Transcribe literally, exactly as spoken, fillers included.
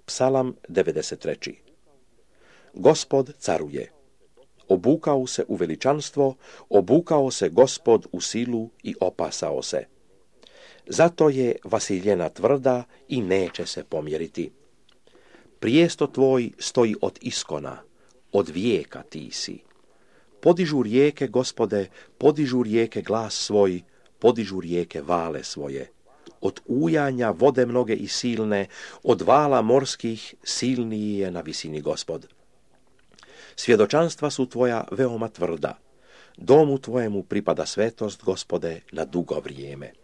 Psalam devedeset tri. Gospod caruje. Obukao se u veličanstvo, obukao se Gospod u silu i opasao se. Zato je Vasiljena tvrda i neće se pomjeriti. Prijesto tvoj stoji od iskona, od vijeka ti si. Podižu rijeke, Gospode, podižu rijeke glas svoj, podižu rijeke vale svoje. Od ujanja vode mnoge i silne, od vala morskih silniji je na visini Gospod. Svjedočanstva su tvoja veoma tvrda. Domu tvojemu pripada svetost, Gospode, na dugo vrijeme.